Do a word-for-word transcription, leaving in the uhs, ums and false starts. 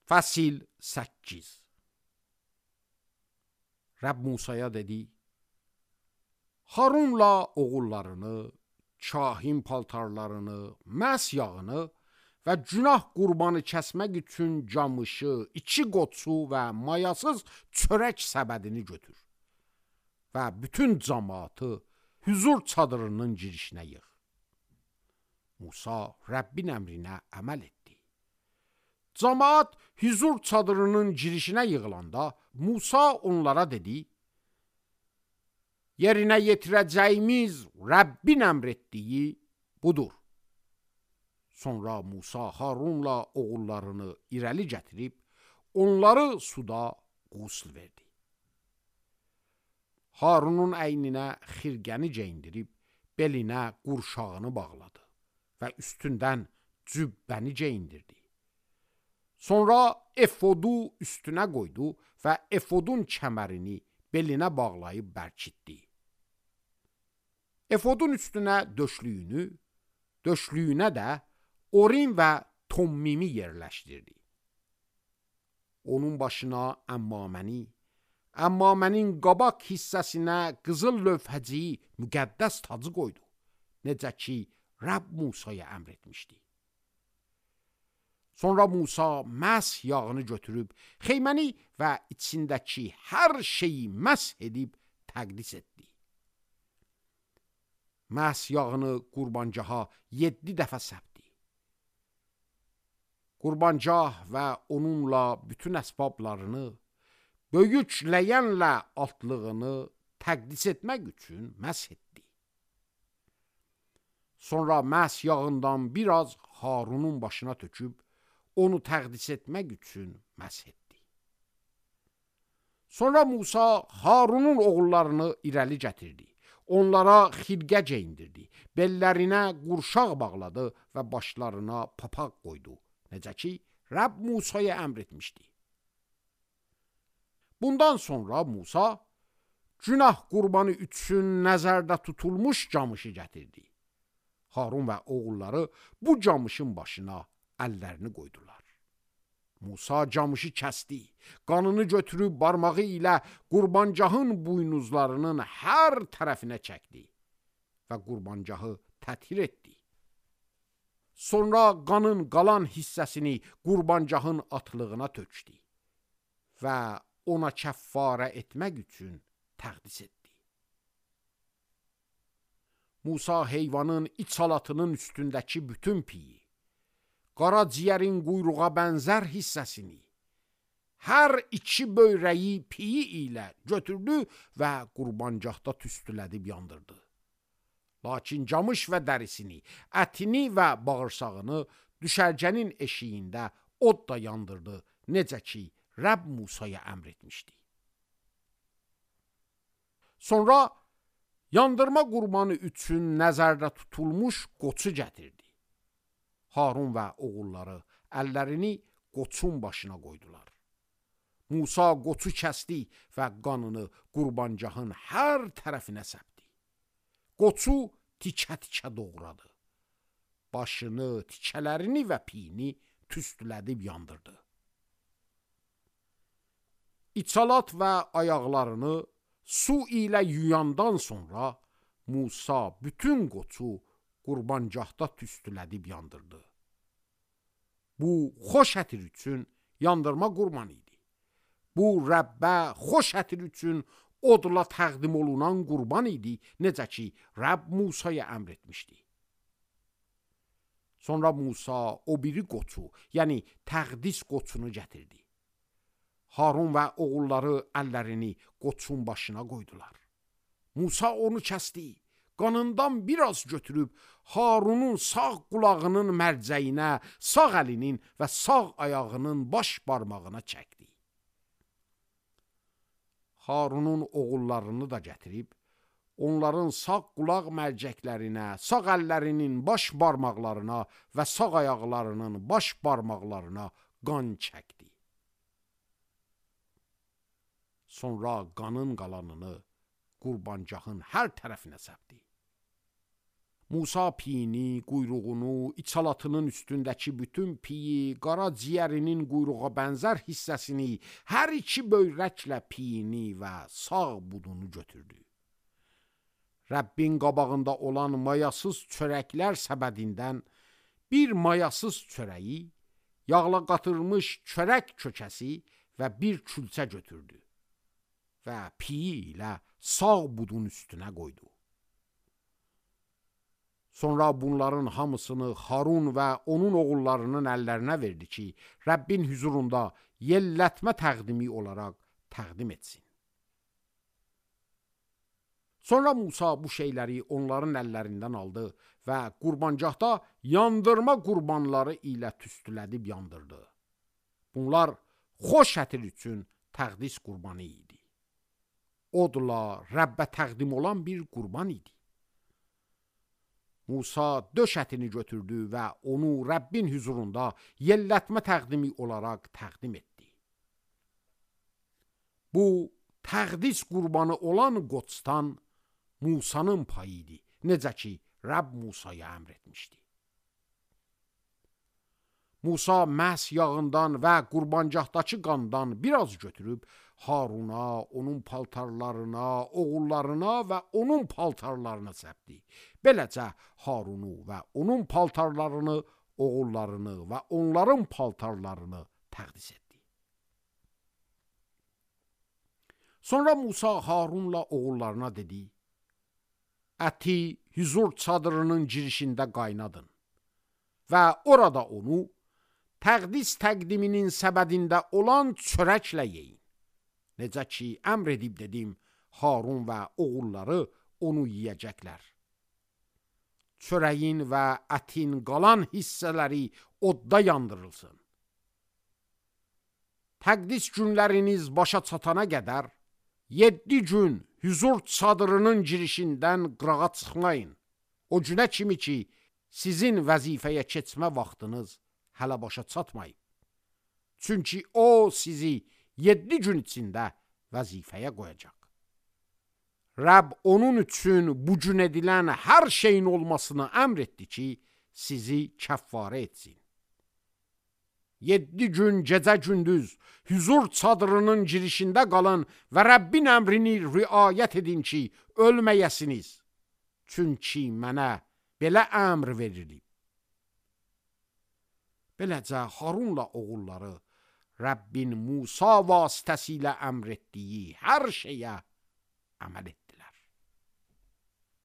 Fəsil səkkiz. Rəbb Musaya dedi: Harunla oğullarını, kahin paltarlarını, məs yağını və günah qurbanı kəsmək üçün camışı, iki qoçu və mayasız çörək səbədini götür və bütün cəmaatı hüzur çadırının girişinə yığ. Musa Rəbbin əmrinə əməl etdi. Cəmaat hüzur çadırının girişinə yığılanda Musa onlara dedi: Yerinə yetirəcəyimiz Rəbbin əmr etdiyi budur. Sonra Musa Harunla oğullarını irəli gətirib, onları suda qusl verdi. Harunun əyninə xirqəni geyindirib, belinə qurşağını bağladı və üstündən cübbəni geyindirdi. Sonra efodu üstünə qoydu və efodun kəmərini belinə bağlayıb bərkitdi. Efodun üstünə döşlüyünü, döşlüyünə də Orim və Tommimi yerləşdirdi. Onun başına əmmaməni, əmmamənin qabaq hissəsinə qızıl lövhəciyi müqəddəs tacı qoydu, necə ki Rəbb Musaya əmr etmişdi. Sonra Musa məs yağını götürüb, xeyməni və içindəki hər şeyi məs edib təqdis etdi. Məs yağını qurbancaha yeddi dəfə səpdi. Qurbancah və onunla bütün əsbablarını, böyük ləyənlə altlığını təqdis etmək üçün məs etdi. Sonra məs yağından biraz Harunun başına töküb, onu təqdis etmək üçün məs etdi. Sonra Musa Harunun oğullarını irəli gətirdi. Onlara xirqə geyindirdi, bellərinə qurşaq bağladı və başlarına papaq qoydu, necə ki Rəbb Musaya əmr etmişdi. Bundan sonra Musa günah qurbanı üçün nəzərdə tutulmuş camışı gətirdi. Harun və oğulları bu camışın başına əllərini qoydular. Musa camışı kəsdi, qanını götürüb barmağı ilə qurbancahın buynuzlarının hər tərəfinə çəkdi və qurbancahı təthir etdi. Sonra qanın qalan hissəsini qurbancahın atlığına tökdü və ona kəffarə etmək üçün təqdis etdi. Musa heyvanın iç halatının üstündəki bütün piyi, qaraciyərin quyruğa bənzər hissəsini, hər iki böyrəyi piyi ilə götürdü və qurbancahda tüstülədib yandırdı. Lakin camış və dərisini, ətini və bağırsağını düşərgənin eşiyində od da yandırdı, necə ki Rəbb Musaya əmr etmişdi. Sonra yandırma qurbanı üçün nəzərdə tutulmuş qoçu gətirdi. Harun və oğulları əllərini qoçun başına qoydular. Musa qoçu kəsdi və qanını qurbancahın hər tərəfinə səpdi. Qoçu tikə-tikə doğradı. Başını, tikələrini və piyini tüstülədib yandırdı. İçalat və ayaqlarını su ilə yuyandan sonra Musa bütün qoçu qurbancahda tüstülədib yandırdı. Bu, xoş ətir üçün yandırma qurbanı idi. Bu, Rəbbə xoş ətir üçün odla təqdim olunan qurban idi, necə ki Rəbb Musaya əmr etmişdi. Sonra Musa o biri qoçu, yəni təqdis qoçunu gətirdi. Harun və oğulları əllərini qoçun başına qoydular. Musa onu kəsdi, qanından biraz götürüb Harunun sağ qulağının mərcəyinə, sağ əlinin və sağ ayağının baş barmağına çəkdi. Harunun oğullarını da gətirib, onların sağ qulaq mərcəklərinə, sağ əllərinin baş barmaqlarına və sağ ayaqlarının baş barmaqlarına qan çəkdi. Sonra qanın qalanını qurbancahın hər tərəfinə səpdi. Musa piyini, quyruğunu, içalatının üstündəki bütün piyi, qara ciyərinin quyruğa bənzər hissəsini, hər iki böyrəklə piyini və sağ budunu götürdü. Rəbbin qabağında olan mayasız çörəklər səbədindən bir mayasız çörəyi, yağla qatılmış çörək kökəsi və bir külçə götürdü və piyi ilə sağ budun üstünə qoydu. Sonra bunların hamısını Harun və onun oğullarının əllərinə verdi ki, Rəbbin huzurunda yellətmə təqdimi olaraq təqdim etsin. Sonra Musa bu şeyləri onların əllərindən aldı və qurbancaqda yandırma qurbanları ilə tüstülədib yandırdı. Bunlar xoş ətir üçün təqdis qurbanı idi. Odla Rəbbə təqdim olan bir qurban idi. Musa döş ətini götürdü və onu Rəbbin huzurunda yellətmə təqdimi olaraq təqdim etdi. Bu, təqdis qurbanı olan qoçdan Musanın payı idi, necə ki, Rəbb Musaya əmr etmişdi. Musa məhz yağından və qurbancaqdakı qandan biraz götürüb, Haruna, onun paltarlarına, oğullarına və onun paltarlarına səpdi. Beləcə Harunu və onun paltarlarını, oğullarını və onların paltarlarını təqdis etdi. Sonra Musa Harunla oğullarına dedi, əti huzur çadırının girişində qaynadın və orada onu təqdis təqdiminin səbədində olan çörəklə yeyin. Necə ki, əmr edib dedim, Harun və oğulları onu yiyəcəklər. Çörəyin və ətin qalan hissələri odda yandırılsın. Təqdis günləriniz başa çatana qədər, yeddi gün huzur çadırının girişindən qırağa çıxmayın. O günə kimi ki, sizin vəzifəyə keçmə vaxtınız hələ başa çatmayıb. Çünki o sizi yeddi gün içində vəzifəyə qoyacaq. Rəbb onun üçün bu gün edilən hər şeyin olmasını əmr etdi ki, sizi kəffarə etsin. Yeddi gün gecə gündüz huzur çadırının girişində qalın və Rəbbin əmrini riayət edin ki, ölməyəsiniz. Çünki mənə belə əmr verilib. Beləcə Harunla oğulları Rəbbin Musa vasitəsilə əmr etdiyi hər şeyə əməl etdilər.